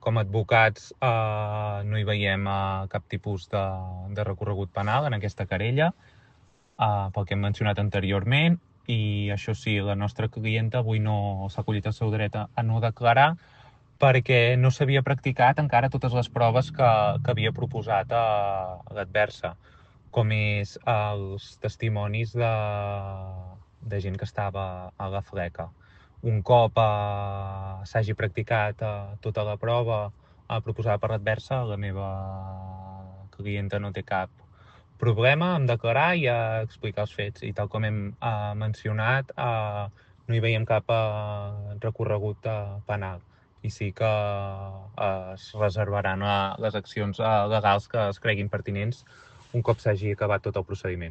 Com a advocats no hi veiem cap tipus de recorregut penal en aquesta querella, pel que hem mencionat anteriorment, i això sí, la nostra clienta avui no s'ha acollit el seu dret a no declarar perquè no s'havia practicat encara totes les proves que havia proposat a l'adversa, com és els testimonis de gent que estava a la fleca. Un cop s'hagi practicat tota la prova proposada per l'adversa, la meva clienta no té cap problema en declarar i a explicar els fets. I tal com hem mencionat, no hi veiem cap recorregut penal. I sí que es reservaran les accions legals que es creguin pertinents un cop s'hagi acabat tot el procediment.